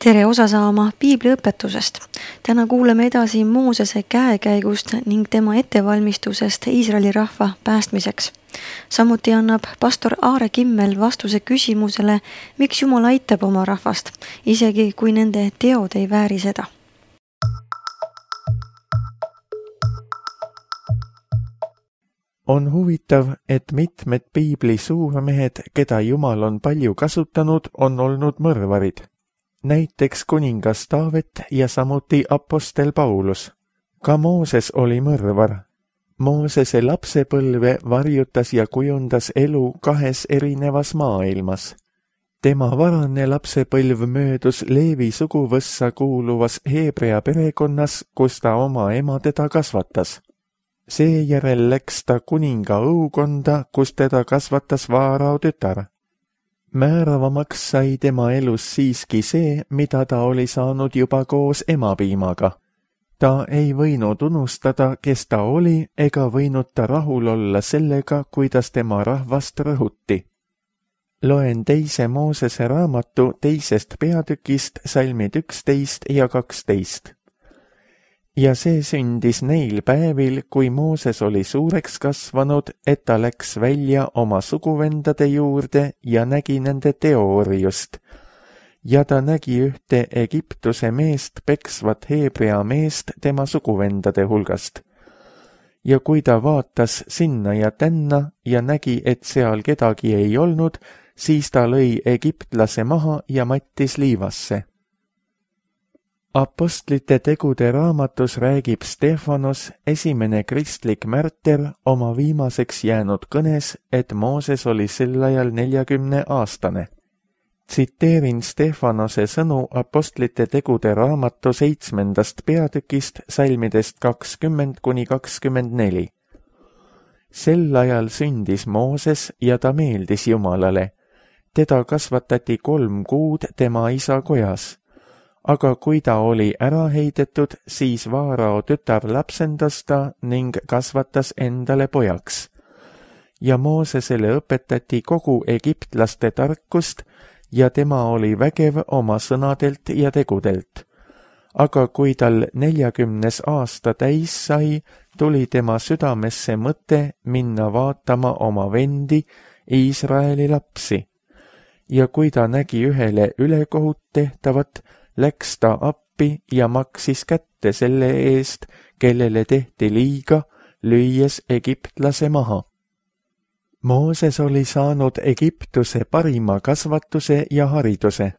Tere osa saama piibliõpetusest. Täna kuuleme edasi Moosese käekäigust ning tema ettevalmistusest Iisraeli rahva päästmiseks. Samuti annab pastor Aare Kimmel vastuse küsimusele, miks Jumal aitab oma rahvast, isegi kui nende teod ei vääri seda. On huvitav, et mitmed piibli suurmehed, keda Jumal on palju kasutanud, on olnud mõrvarid. Näiteks kuningas Taavet ja samuti apostel Paulus. Ka Mooses oli mõrvar. Moosese lapsepõlve varjutas ja kujundas elu kahes erinevas maailmas. Tema varane lapsepõlv möödus Leevi suguvõssa kuuluvas Heebrea perekonnas, kus ta oma ema teda kasvatas. Seejärel läks ta kuninga õukonda, kus teda kasvatas Vaarao tütar. Määravamaks sai tema elus siiski see, mida ta oli saanud juba koos emapiimaga. Ta ei võinud unustada, kes ta oli, ega võinud ta rahul olla sellega, kuidas tema rahvast rõhuti. Loen 2. Moosese raamatu 2. peatükist salmid 11 ja 12. Ja see sündis neil päevil, kui Mooses oli suureks kasvanud, et ta läks välja oma suguvendade juurde ja nägi nende teoorjust. Ja ta nägi ühte Egiptuse meest peksvat Heebrea meest tema suguvendade hulgast. Ja kui ta vaatas sinna ja tänna ja nägi, et seal kedagi ei olnud, siis ta lõi egiptlase maha ja mattis liivasse. Apostlite tegude raamatus räägib Stefanos, esimene kristlik märter, oma viimaseks jäänud kõnes, et Mooses oli sel ajal 40-aastane. Tsiteerin Stefanose sõnu Apostlite tegude raamatu 7. peatükist salmidest 20–24. Sel ajal sündis Mooses ja ta meeldis Jumalale. Teda kasvatati 3 kuud tema isa kojas. Aga kui ta oli ära heidetud, siis Vaarao tütar lapsendas ta ning kasvatas endale pojaks. Ja Moosesele õpetati kogu egiptlaste tarkust ja tema oli vägev oma sõnadelt ja tegudelt. Aga kui tal 40. aasta täis sai, tuli tema südamesse mõte minna vaatama oma vendi, Iisraeli lapsi. Ja kui ta nägi ühele ülekohut tehtavat, läks ta appi ja maksis kätte selle eest, kellele tehti liiga, lüües egiptlase maha. Mooses oli saanud Egiptuse parima kasvatuse ja hariduse.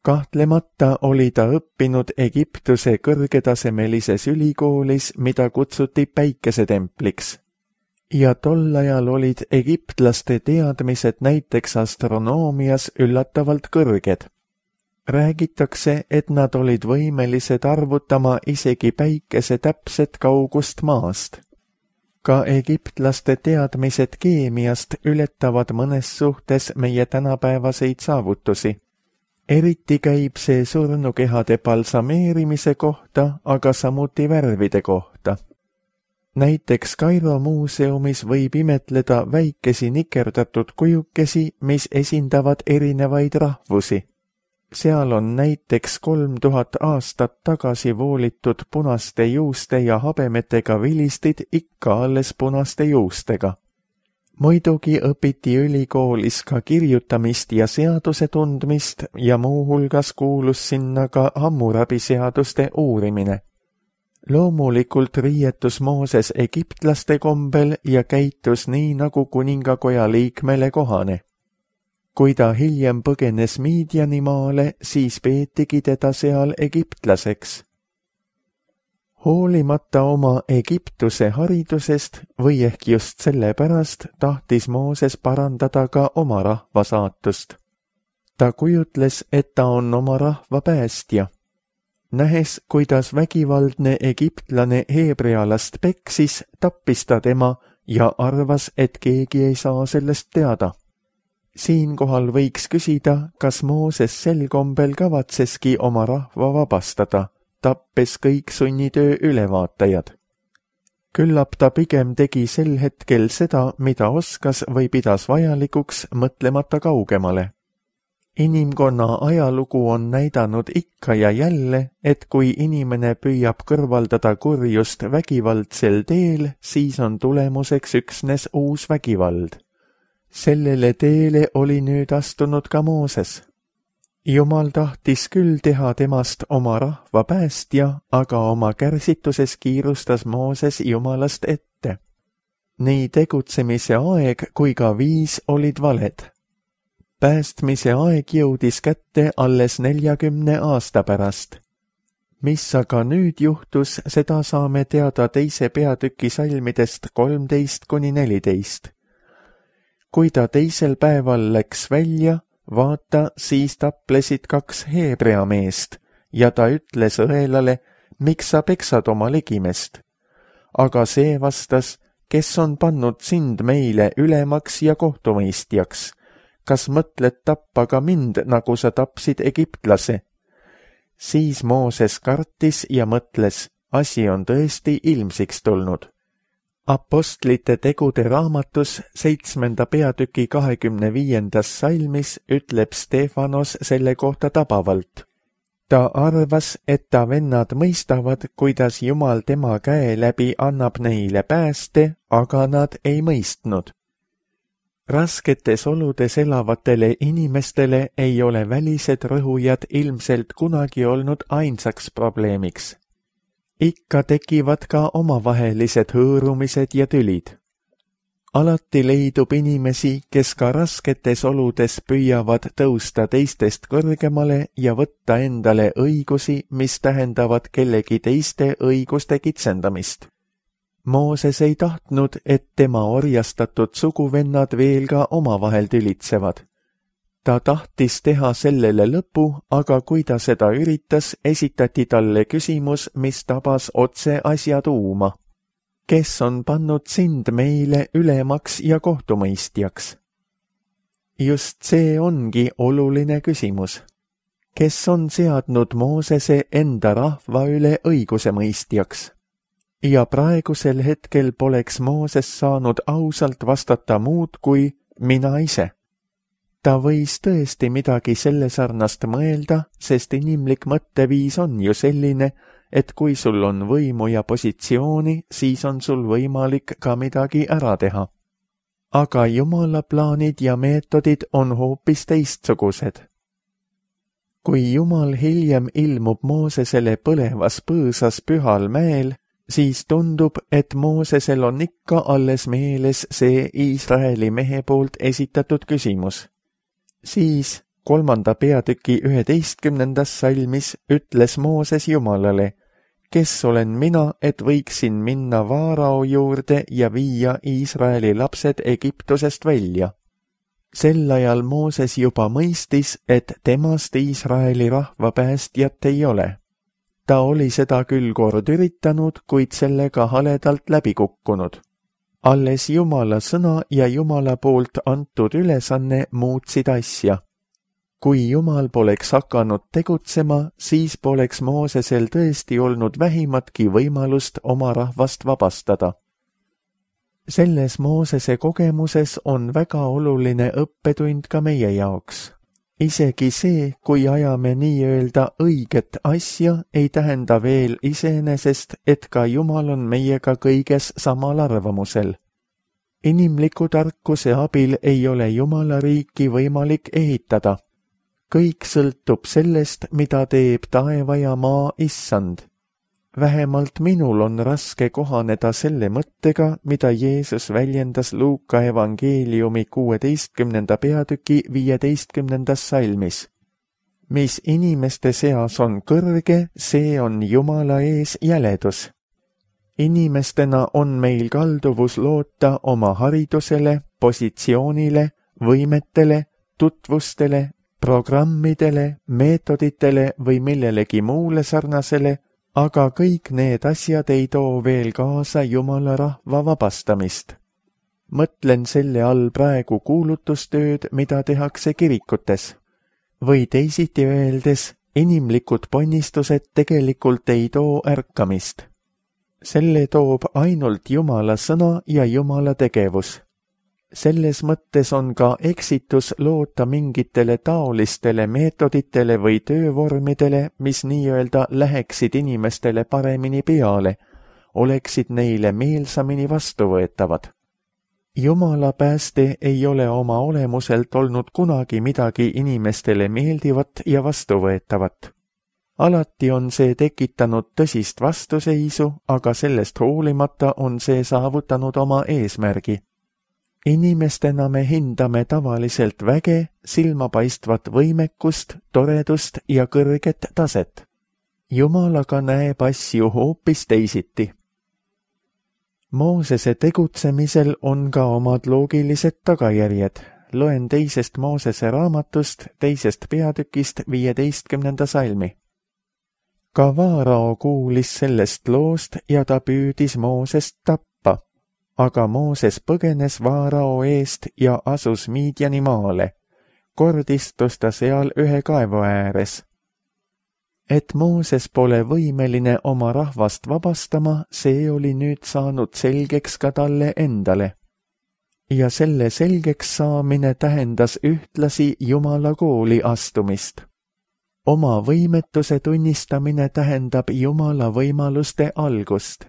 Kahtlemata oli ta õppinud Egiptuse kõrgetasemelises ülikoolis, mida kutsuti Päikesetempliks. Ja tol ajal olid egiptlaste teadmised näiteks astronoomias üllatavalt kõrged. Räägitakse, et nad olid võimelised arvutama isegi päikese täpset kaugust maast. Ka egiptlaste teadmised keemiast ületavad mõnes suhtes meie tänapäevaseid saavutusi. Eriti käib see surnukehade balsameerimise kohta, aga samuti värvide kohta. Näiteks Kairo muuseumis võib imetleda väikesi nikerdatud kujukesi, mis esindavad erinevaid rahvusi. Seal on näiteks 3000 aastat tagasi voolitud punaste juuste ja habemetega vilistid ikka alles punaste juustega. Muidugi õpiti ülikoolis ka kirjutamist ja seaduse tundmist ja muuhulgas kuulus sinna ka Hammurabi seaduste uurimine. Loomulikult riietus Mooses egiptlaste kombel ja käitus nii nagu kuningakoja liikmele kohane. Kui ta hiljem põgenes Midiani maale, siis peetigi teda seal egiptlaseks. Hoolimata oma Egiptuse haridusest või ehk just sellepärast tahtis Mooses parandada ka oma rahva saatust. Ta kujutles, et ta on oma rahva päästja. Nähes, kuidas vägivaldne egiptlane heebrealast peksis, tappis ta tema ja arvas, et keegi ei saa sellest teada. Siinkohal võiks küsida, kas Mooses sel kombel kavatseski oma rahva vabastada, tappes kõik sunnitöö ülevaatajad. Küllap ta pigem tegi sel hetkel seda, mida oskas või pidas vajalikuks, mõtlemata kaugemale. Inimkonna ajalugu on näidanud ikka ja jälle, et kui inimene püüab kõrvaldada kurjust vägivaldsel teel, siis on tulemuseks üksnes uus vägivald. Sellele teele oli nüüd astunud ka Mooses. Jumal tahtis küll teha temast oma rahva päästja, aga oma kärsituses kiirustas Mooses Jumalast ette. Nii tegutsemise aeg kui ka viis olid valed. Päästmise aeg jõudis kätte alles 40 aasta pärast. Mis aga nüüd juhtus, seda saame teada 2. peatüki salmidest 13–14. Kui ta 2. päeval läks välja, vaata, siis taplesid 2 Heebrea meest ja ta ütles õelale, miks sa peksad oma ligimest. Aga see vastas, kes on pannud sind meile ülemaks ja kohtumõistjaks. Kas mõtled tappa ka mind, nagu sa tapsid egiptlase? Siis Mooses kartis ja mõtles, asi on tõesti ilmsiks tulnud. Apostlite tegude raamatus 7. peatüki 25. salmis ütleb Stefanos selle kohta tabavalt. Ta arvas, et ta vennad mõistavad, kuidas Jumal tema käe läbi annab neile pääste, aga nad ei mõistnud. Rasketes oludes elavatele inimestele ei ole välised rõhujad ilmselt kunagi olnud ainsaks probleemiks. Ikka tekivad ka omavahelised hõõrumised ja tülid. Alati leidub inimesi, kes ka rasketes oludes püüavad tõusta teistest kõrgemale ja võtta endale õigusi, mis tähendavad kellegi teiste õiguste kitsendamist. Mooses ei tahtnud, et tema orjastatud suguvennad veel ka omavahel tülitsevad. Ta tahtis teha sellele lõpu, aga kui ta seda üritas, esitati talle küsimus, mis tabas otse asja tuuma. Kes on pannud sind meile ülemaks ja kohtumõistjaks? Just see ongi oluline küsimus. Kes on seadnud Moosese enda rahva üle õigusemõistjaks? Ja praegusel hetkel poleks Mooses saanud ausalt vastata muud kui mina ise. Ta võis tõesti midagi selle sarnast mõelda, sest inimlik mõtteviis on ju selline, et kui sul on võimu ja positsiooni, siis on sul võimalik ka midagi ära teha. Aga Jumala plaanid ja meetodid on hoopis teistsugused. Kui Jumal hiljem ilmub Moosesele põlevas põõsas Pühal mäel, siis tundub, et Moosesel on ikka alles meeles see Iisraeli mehe poolt esitatud küsimus. Siis 3. peatüki 11. salmis ütles Mooses Jumalale, kes olen mina, et võiksin minna Vaarao juurde ja viia Iisraeli lapsed Egiptusest välja. Sel ajal Mooses juba mõistis, et temast Iisraeli rahva päästjat ei ole. Ta oli seda küll kord üritanud, kuid sellega haledalt läbi kukkunud. Alles Jumala sõna ja Jumala poolt antud ülesanne muutsid asja. Kui Jumal poleks hakanud tegutsema, siis poleks Moosesel tõesti olnud vähimatki võimalust oma rahvast vabastada. Selles Moosese kogemuses on väga oluline õppetund ka meie jaoks. Isegi see, kui ajame nii-öelda õiget asja, ei tähenda veel iseenesest, et ka Jumal on meiega kõiges samal arvamusel. Inimliku tarkuse abil ei ole Jumala riiki võimalik ehitada. Kõik sõltub sellest, mida teeb taeva ja maa issand. Vähemalt minul on raske kohaneda selle mõttega, mida Jeesus väljendas Luuka evangeeliumi 16. peatüki 15. salmis. Mis inimeste seas on kõrge, see on Jumala ees jäledus. Inimestena on meil kalduvus loota oma haridusele, positsioonile, võimetele, tutvustele, programmidele, meetoditele või millelegi muule sarnasele, aga kõik need asjad ei too veel kaasa Jumala rahva vabastamist. Mõtlen selle all praegu kuulutustööd, mida tehakse kirikutes. Või teisiti öeldes, inimlikud ponnistused tegelikult ei too ärkamist. Selle toob ainult Jumala sõna ja Jumala tegevus. Selles mõttes on ka eksitus loota mingitele taolistele meetoditele või töövormidele, mis nii-öelda läheksid inimestele paremini peale, oleksid neile meelsamini vastuvõetavad. Jumala pääste ei ole oma olemuselt olnud kunagi midagi inimestele meeldivat ja vastuvõetavat. Alati on see tekitanud tõsist vastuseisu, aga sellest hoolimata on see saavutanud oma eesmärgi. Inimestena me hindame tavaliselt väge, silmapaistvat võimekust, toredust ja kõrget taset. Jumal aga näeb asju hoopis teisiti. Moosese tegutsemisel on ka omad loogilised tagajärjed. Loen 2. Moosese raamatust 2. peatükist 15. salmi. Ka Vaarao kuulis sellest loost ja ta püüdis Moosest tappa, aga Mooses põgenes Vaarao eest ja asus Miidjani maale. Kord istus ta seal ühe kaevu ääres. Et Mooses pole võimeline oma rahvast vabastama, see oli nüüd saanud selgeks ka talle endale. Ja selle selgeks saamine tähendas ühtlasi Jumala kooli astumist. Oma võimetuse tunnistamine tähendab Jumala võimaluste algust.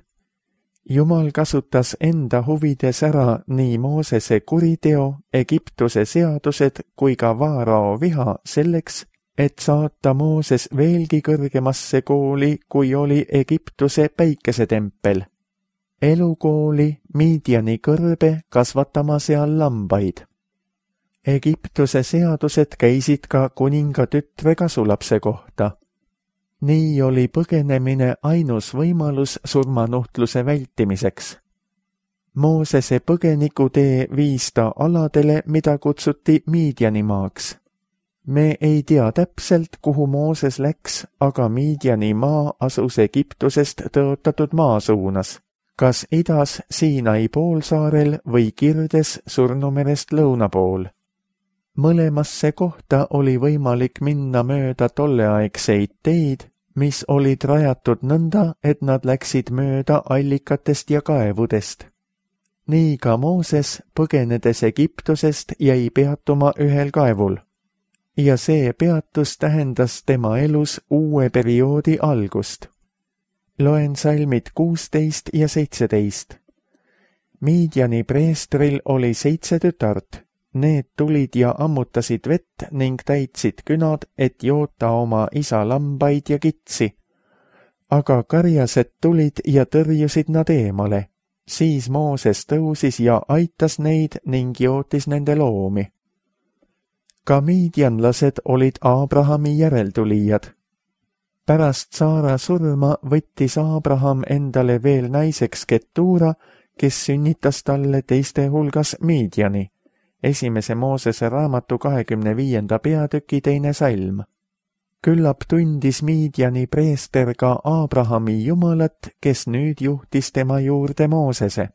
Jumal kasutas enda huvides ära nii Moosese kuriteo, Egiptuse seadused kui ka Vaarao viha selleks, et saata Mooses veelgi kõrgemasse kooli, kui oli Egiptuse päikesetempel. Elukooli Miidjani kõrbe kasvatama seal lambaid. Egiptuse seadused käisid ka kuninga tütre kasulapse kohta. Nii oli põgenemine ainus võimalus surmanuhtluse vältimiseks. Moosese põgenikutee viis ta aladele, mida kutsuti Miidjani maaks. Me ei tea täpselt, kuhu Mooses läks, aga Miidjani maa asus Egiptusest tõotatud maa suunas, kas idas Siinai poolsaarel või kirdes Surnumerest lõuna pool. Mõlemasse kohta oli võimalik minna mööda tolleaegseid teid, mis olid rajatud nõnda, et nad läksid mööda allikatest ja kaevudest. Nii ka Mooses, põgenedes Egiptusest, jäi peatuma ühel kaevul. Ja see peatus tähendas tema elus uue perioodi algust. Loen salmid 16 ja 17. Miidjani preestril oli 7 tütart. Need tulid ja ammutasid vett ning täitsid künad, et joota oma isa lambaid ja kitsi. Aga karjased tulid ja tõrjusid nad eemale. Siis Mooses tõusis ja aitas neid ning jootis nende loomi. Ka miidjanlased olid Aabrahami järeltulijad. Pärast Saara surma võttis Aabraham endale veel naiseks Ketuura, kes sünnitas talle teiste hulgas Miidjani. 1. Moosese raamatu 25. peatüki 2. salm. Küllap tundis Miidjani preester ka Aabrahami jumalat, kes nüüd juhtis tema juurde Moosese.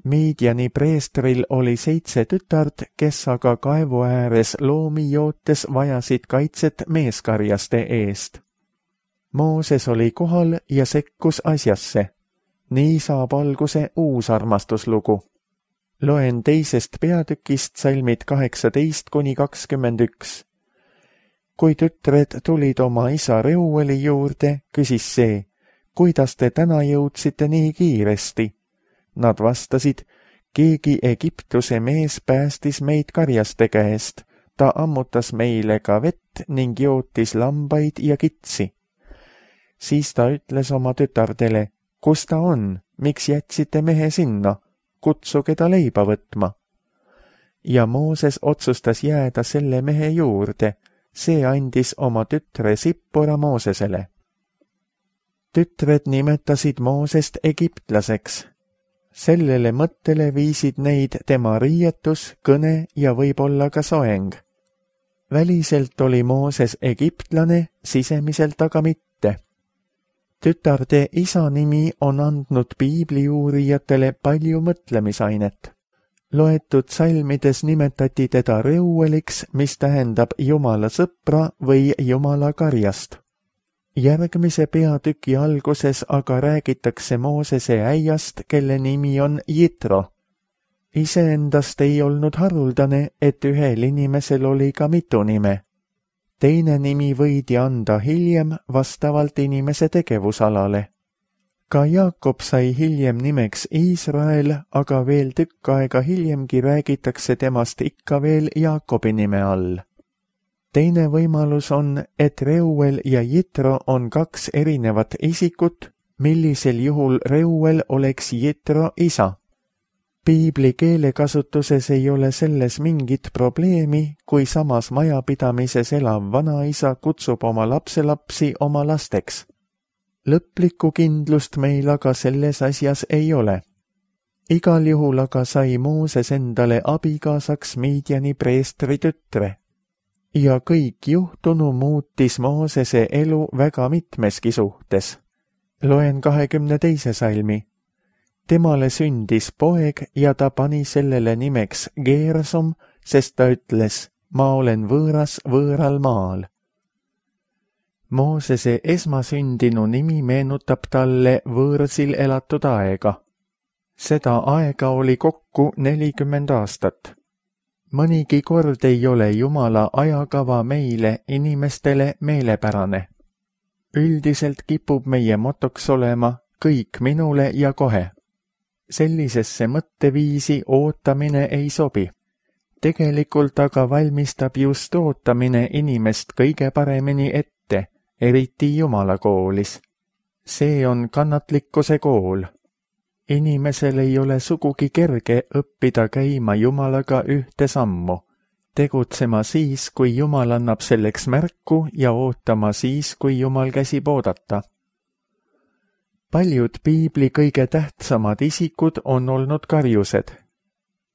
Miidjani preestril oli 7 tütart, kes aga kaevu ääres loomi jootes vajasid kaitset meeskarjaste eest. Mooses oli kohal ja sekkus asjasse. Nii saab alguse uus armastuslugu. Loen 2. peatükist salmid 18–21. Kui tütred tulid oma isa Reueli juurde, küsis see, kuidas te täna jõudsite nii kiiresti? Nad vastasid, keegi Egiptuse mees päästis meid karjaste käest, ta ammutas meile ka vett ning jootis lambaid ja kitsi. Siis ta ütles oma tütardele, kus ta on, miks jätsite mehe sinna? Kutsuge ta leiba võtma. Ja Mooses otsustas jääda selle mehe juurde, see andis oma tütre Sippora Moosesele. Tütred nimetasid Moosest egiptlaseks. Sellele mõttele viisid neid tema riietus, kõne ja võib-olla ka soeng. Väliselt oli Mooses egiptlane, sisemiselt aga mitte. Tütarde isa nimi on andnud piibliuurijatele palju mõtlemisainet. Loetud salmides nimetati teda Reueliks, mis tähendab Jumala sõpra või Jumala karjast. Järgmise peatüki alguses aga räägitakse Moosese äiast, kelle nimi on Jitro. Iseendast ei olnud haruldane, et ühel inimesel oli ka mitu nime. Teine nimi võidi anda hiljem vastavalt inimese tegevusalale. Ka Jaakob sai hiljem nimeks Iisrael, aga veel tükk aega hiljemgi räägitakse temast ikka veel Jaakobi nime all. Teine võimalus on, et Reuel ja Jitro on kaks erinevat isikut, millisel juhul Reuel oleks Jitro isa. Piibli keelekasutuses ei ole selles mingit probleemi, kui samas majapidamises elav vanaisa kutsub oma lapselapsi oma lasteks. Lõplikku kindlust meil aga selles asjas ei ole. Igal juhul aga sai Mooses endale abikaasaks Midiani preestri tütre. Ja kõik juhtunu muutis Moosese elu väga mitmeski suhtes. Loen 22. salmi. Temale sündis poeg ja ta pani sellele nimeks Geersom, sest ta ütles, ma olen võõras võõral maal. Moosese esmasündinu nimi meenutab talle võõrsil elatud aega. Seda aega oli kokku 40 aastat. Mõnigi kord ei ole Jumala ajakava meile, inimestele meelepärane. Üldiselt kipub meie motoks olema kõik minule ja kohe. Sellisesse mõtteviisi ootamine ei sobi. Tegelikult aga valmistab just ootamine inimest kõige paremini ette, eriti Jumala koolis. See on kannatlikkuse kool. Inimesel ei ole sugugi kerge õppida käima Jumalaga ühte sammu, tegutsema siis, kui Jumal annab selleks märku ja ootama siis, kui Jumal käsib oodata. Paljud piibli kõige tähtsamad isikud on olnud karjused.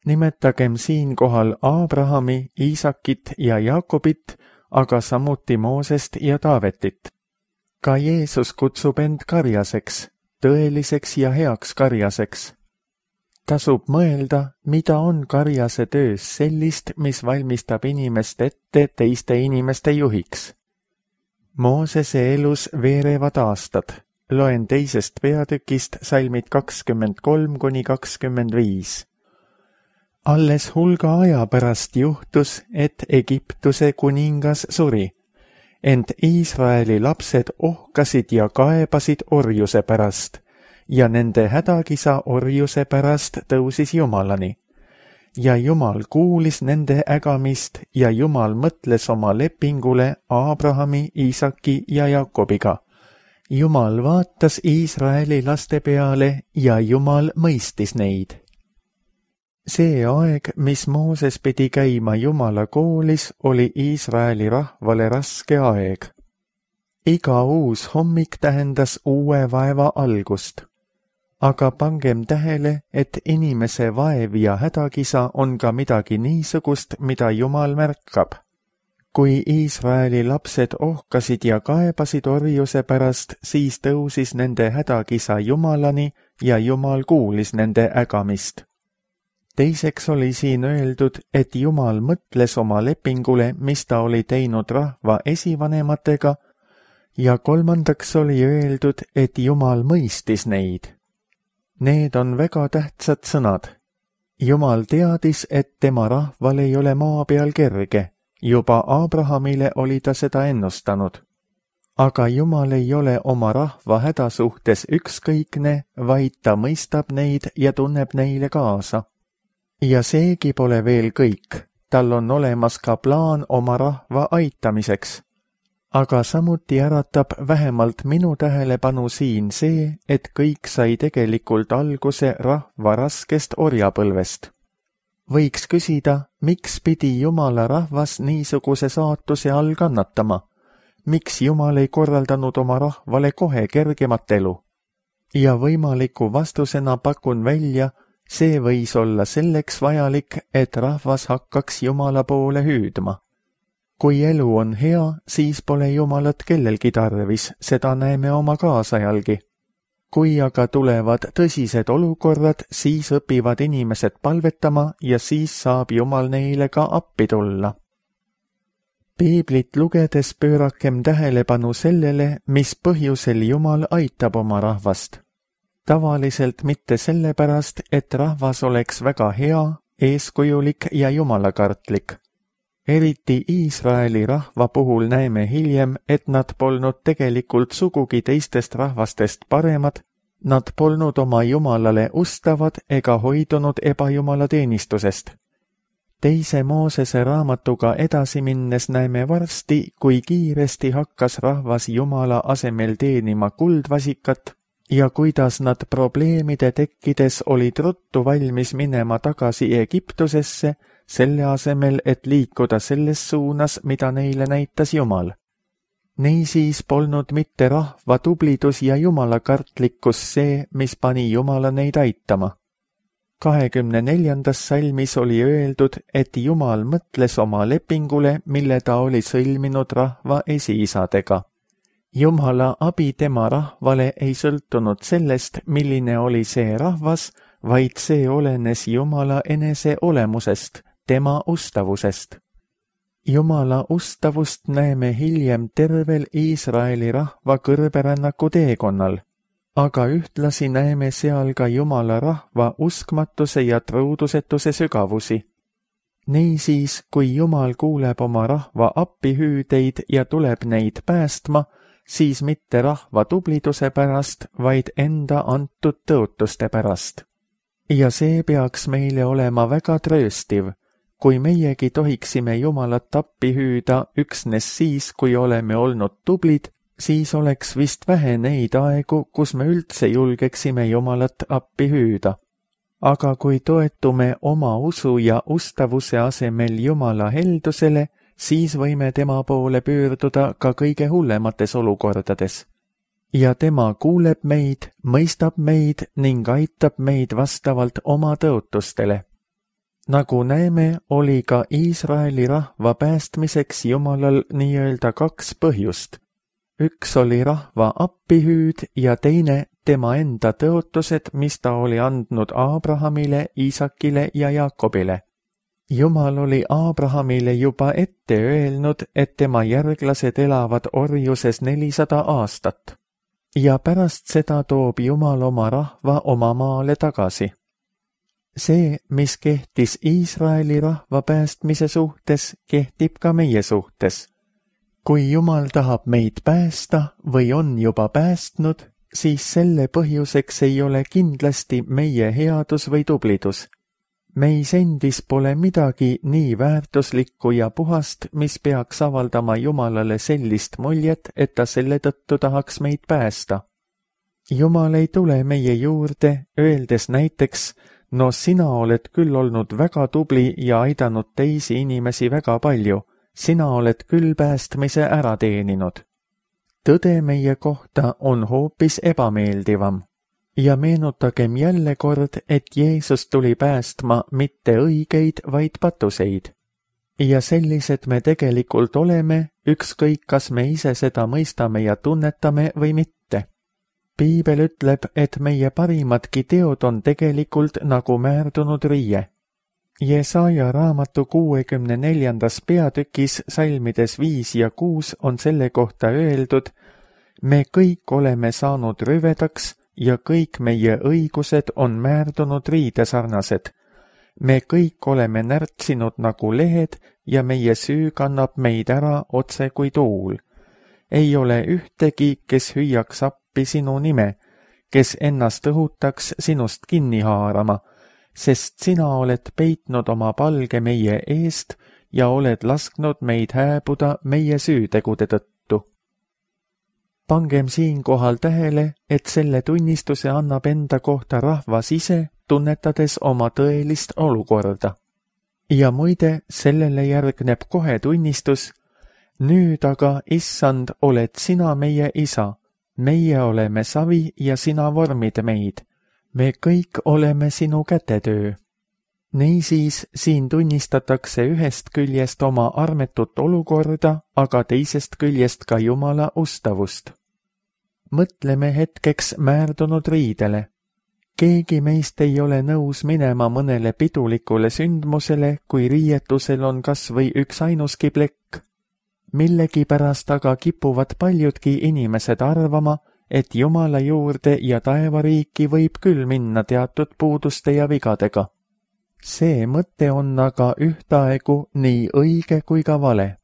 Nimetagem siinkohal Abrahami, Iisakit ja Jaakobit, aga samuti Moosest ja Taavetit. Ka Jeesus kutsub end karjaseks, tõeliseks ja heaks karjaseks. Tasub mõelda, mida on karjase töös sellist, mis valmistab inimest ette teiste inimeste juhiks. Moosese elus veerevad aastad. Loen 2. peatükist salmid 23–25. Alles hulga aja pärast juhtus, et Egiptuse kuningas suri, ent Iisraeli lapsed ohkasid ja kaebasid orjuse pärast, ja nende hädakisa orjuse pärast tõusis Jumalani. Ja Jumal kuulis nende ägamist ja Jumal mõtles oma lepingule Abrahami, Iisaki ja Jaakobiga. Jumal vaatas Iisraeli laste peale ja Jumal mõistis neid. See aeg, mis Mooses pidi käima Jumala koolis, oli Iisraeli rahvale raske aeg. Iga uus hommik tähendas uue vaeva algust. Aga pangem tähele, et inimese vaev ja hädakisa on ka midagi niisugust, mida Jumal märkab. Kui Iisraeli lapsed ohkasid ja kaebasid orjuse pärast, siis tõusis nende hädakisa Jumalani ja Jumal kuulis nende ägamist. Teiseks oli siin öeldud, et Jumal mõtles oma lepingule, mis ta oli teinud rahva esivanematega, ja kolmandaks oli öeldud, et Jumal mõistis neid. Need on väga tähtsad sõnad. Jumal teadis, et tema rahval ei ole maa peal kerge. Juba Abrahamile oli ta seda ennustanud. Aga Jumal ei ole oma rahva häda suhtes ükskõikne, vaid ta mõistab neid ja tunneb neile kaasa. Ja seegi pole veel kõik, tal on olemas ka plaan oma rahva aitamiseks. Aga samuti äratab vähemalt minu tähelepanu siin see, et kõik sai tegelikult alguse rahva raskest orjapõlvest. Võiks küsida, miks pidi Jumala rahvas niisuguse saatuse all kannatama? Miks Jumal ei korraldanud oma rahvale kohe kergemat elu? Ja võimaliku vastusena pakun välja, see võis olla selleks vajalik, et rahvas hakkaks Jumala poole hüüdma. Kui elu on hea, siis pole Jumalat kellelgi tarvis, seda näeme oma kaasajalgi. Kui aga tulevad tõsised olukorrad, siis õpivad inimesed palvetama ja siis saab Jumal neile ka appi tulla. Piiblit lugedes pöörakem tähelepanu sellele, mis põhjusel Jumal aitab oma rahvast. tavaliselt mitte sellepärast, et rahvas oleks väga hea, eeskujulik ja jumalakartlik. Eriti Iisraeli rahva puhul näeme hiljem, et nad polnud tegelikult sugugi teistest rahvastest paremad, nad polnud oma jumalale ustavad ega hoidunud ebajumalateenistusest. Teise Moosese raamatuga edasi minnes näeme varsti, kui kiiresti hakkas rahvas Jumala asemel teenima kuldvasikat ja kuidas nad probleemide tekkides olid ruttu valmis minema tagasi Egiptusesse, selle asemel, et liikuda selles suunas, mida neile näitas Jumal. Niisiis polnud mitte rahva tublidus ja jumalakartlikkus see, mis pani Jumala neid aitama. 24. salmis oli öeldud, et Jumal mõtles oma lepingule, mille ta oli sõlminud rahva esiisadega. Jumala abi tema rahvale ei sõltunud sellest, milline oli see rahvas, vaid see olenes Jumala enese olemusest, tema ustavusest. Jumala ustavust näeme hiljem tervel Iisraeli rahva kõrberännaku teekonnal, aga ühtlasi näeme seal ka Jumala rahva uskmatuse ja truudusetuse sügavusi. Niisiis, kui Jumal kuuleb oma rahva appihüüdeid ja tuleb neid päästma, siis mitte rahva tubliduse pärast, vaid enda antud tõotuste pärast. Ja see peaks meile olema väga trööstiv, kui meiegi tohiksime Jumalat appi hüüda üksnes siis, kui oleme olnud tublid, siis oleks vist vähe neid aegu, kus me üldse julgeksime Jumalat appi hüüda. Aga kui toetume oma usu ja ustavuse asemel Jumala heldusele, siis võime tema poole pöörduda ka kõige hullemates olukordades. Ja tema kuuleb meid, mõistab meid ning aitab meid vastavalt oma tõotustele. Nagu näeme, oli ka Iisraeli rahva päästmiseks Jumalal nii-öelda 2 põhjust. Üks oli rahva appihüüd ja teine tema enda tõotused, mis ta oli andnud Aabrahamile, Iisakile ja Jaakobile. Jumal oli Aabrahamile juba ette öelnud, et tema järglased elavad orjuses 400 aastat. Ja pärast seda toob Jumal oma rahva oma maale tagasi. See, mis kehtis Iisraeli rahva päästmise suhtes, kehtib ka meie suhtes. Kui Jumal tahab meid päästa või on juba päästnud, siis selle põhjuseks ei ole kindlasti meie headus või tublidus. Meis endis pole midagi nii väärtuslikku ja puhast, mis peaks avaldama Jumalale sellist muljet, et ta selle tõttu tahaks meid päästa. Jumal ei tule meie juurde, öeldes näiteks, no sina oled küll olnud väga tubli ja aidanud teisi inimesi väga palju, sina oled küll päästmise ära teeninud. Tõde meie kohta on hoopis ebameeldivam. Ja meenutagem jälle kord, et Jeesus tuli päästma mitte õigeid, vaid patuseid. Ja sellised me tegelikult oleme, ükskõik kas me ise seda mõistame ja tunnetame või mitte. Piibel ütleb, et meie parimadki teod on tegelikult nagu määrdunud riie. Jesaja raamatu 64. peatükis salmides 5 ja 6 on selle kohta öeldud, me kõik oleme saanud rüvedaks ja kõik meie õigused on määrdunud riidesarnased. Me kõik oleme närtsinud nagu lehed ja meie süü kannab meid ära otse kui tuul. Ei ole ühtegi, kes hüüaks appi sinu nime, kes ennast õhutaks sinust kinni haarama, sest sina oled peitnud oma palge meie eest ja oled lasknud meid hääbuda meie süütegude tõttu. Pangem siinkohal tähele, et selle tunnistuse annab enda kohta rahvas ise, tunnetades oma tõelist olukorda. Ja muide, sellele järgneb kohe tunnistus, nüüd aga, issand, oled sina meie isa, meie oleme savi ja sina vormid meid. Me kõik oleme sinu kätetöö. Niisiis, siin tunnistatakse ühest küljest oma armetut olukorda, aga teisest küljest ka Jumala ustavust. Mõtleme hetkeks määrdunud riidele. Keegi meist ei ole nõus minema mõnele pidulikule sündmusele, kui riietusel on kas või üks ainuski plekk. Millegipärast aga kipuvad paljudki inimesed arvama, et Jumala juurde ja taevariiki võib küll minna teatud puuduste ja vigadega. See mõte on aga ühtaegu nii õige kui ka vale.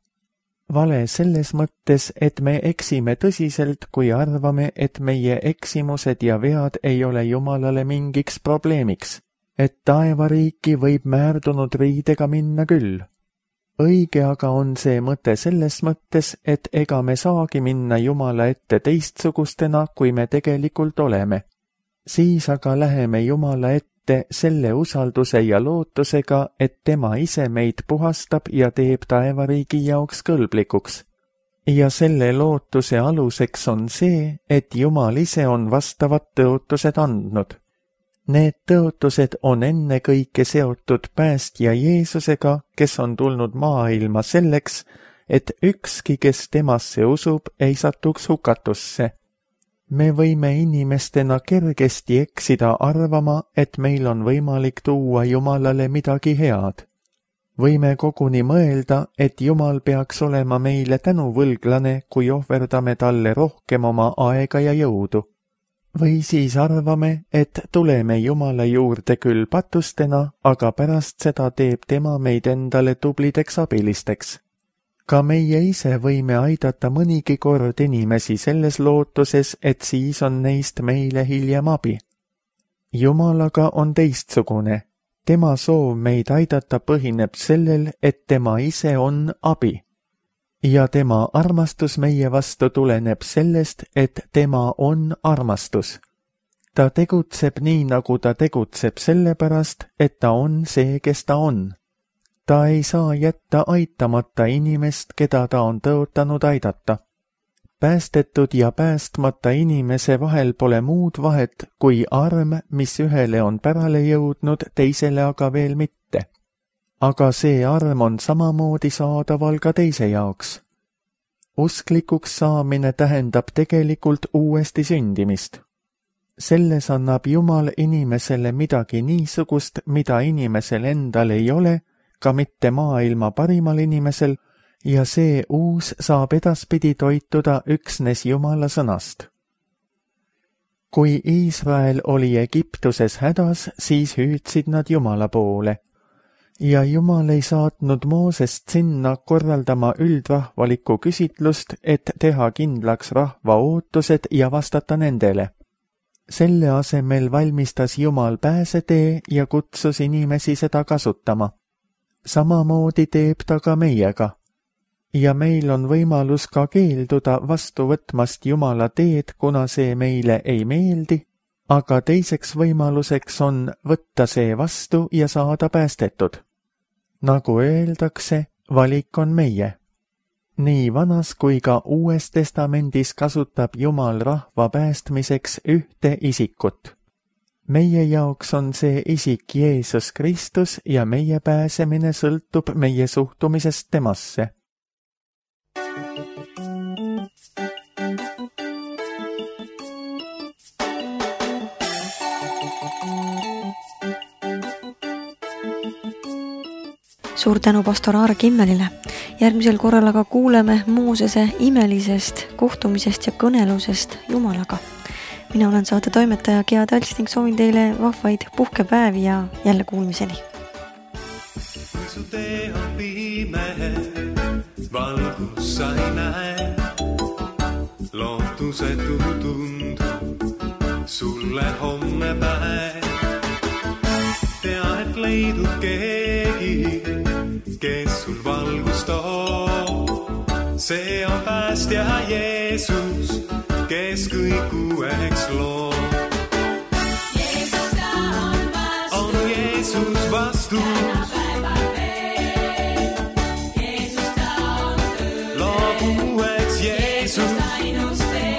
Vale selles mõttes, et me eksime tõsiselt, kui arvame, et meie eksimused ja vead ei ole Jumalale mingiks probleemiks, et taevariiki võib määrdunud riidega minna küll. Õige aga on see mõte selles mõttes, et ega me saagi minna Jumala ette teistsugustena, kui me tegelikult oleme. Siis aga läheme Jumala ette selle usalduse ja lootusega, et tema ise meid puhastab ja teeb taevariigi jaoks kõlblikuks. Ja selle lootuse aluseks on see, et Jumal ise on vastavad tõotused andnud. Need tõotused on ennekõike seotud päästja Jeesusega, kes on tulnud maailma selleks, et ükski, kes temasse usub, ei satuks hukatusse. Me võime inimestena kergesti eksida arvama, et meil on võimalik tuua Jumalale midagi head. Võime koguni mõelda, et Jumal peaks olema meile tänuvõlglane, kui ohverdame talle rohkem oma aega ja jõudu. Või siis arvame, et tuleme Jumala juurde küll patustena, aga pärast seda teeb tema meid endale tublideks abilisteks. Ka meie ise võime aidata mõnigi kord inimesi selles lootuses, et siis on neist meile hiljem abi. Jumal aga on teistsugune. Tema soov meid aidata põhineb sellel, et tema ise on abi. Ja tema armastus meie vastu tuleneb sellest, et tema on armastus. Ta tegutseb nii, nagu ta tegutseb sellepärast, et ta on see, kes ta on. Ta ei saa jätta aitamata inimest, keda ta on tõotanud aidata. Päästetud ja päästmata inimese vahel pole muud vahet kui arm, mis ühele on pärale jõudnud, teisele aga veel mitte. Aga see arm on samamoodi saadaval ka teise jaoks. Usklikuks saamine tähendab tegelikult uuesti sündimist. Selles annab Jumal inimesele midagi niisugust, mida inimesel endal ei ole, ka mitte maailma parimal inimesel, ja see uus saab edaspidi toituda üksnes Jumala sõnast. Kui Iisrael oli Egiptuses hädas, siis hüüdsid nad Jumala poole. Ja Jumal ei saatnud Moosest sinna korraldama üldrahvalikku küsitlust, et teha kindlaks rahva ootused ja vastata nendele. Selle asemel valmistas Jumal pääsetee ja kutsus inimesi seda kasutama. Samamoodi teeb ta ka meiega. Ja meil on võimalus ka keelduda vastu võtmast Jumala teed, kuna see meile ei meeldi, aga teiseks võimaluseks on võtta see vastu ja saada päästetud. Nagu öeldakse, valik on meie. Nii Vanas kui ka Uues Testamendis kasutab Jumal rahva päästmiseks ühte isikut. Meie jaoks on see isik Jeesus Kristus ja meie pääsemine sõltub meie suhtumisest temasse. Suur tänu pastor Aare Kimmelile. Järgmisel korral aga kuuleme Moosese imelisest kohtumisest ja kõnelusest Jumalaga. Mina olen saate toimetaja Gea Talts ning soovin teile vahvaid puhkepäevi ja jälle kuulmiseni. Kui su tee on pime, valgus sa ei näe, lootusetu tundub sulle homme päev. Tea, et leidub keegi, kes sul valgust toob. See on päästja Jeesus, kes kõik uueks loob. Jeesus ta on vastus. On Jeesus vastus. Täna päeva veel. Jeesus ta on tõe. Loob uueks Jeesus. Jeesus ainus tee.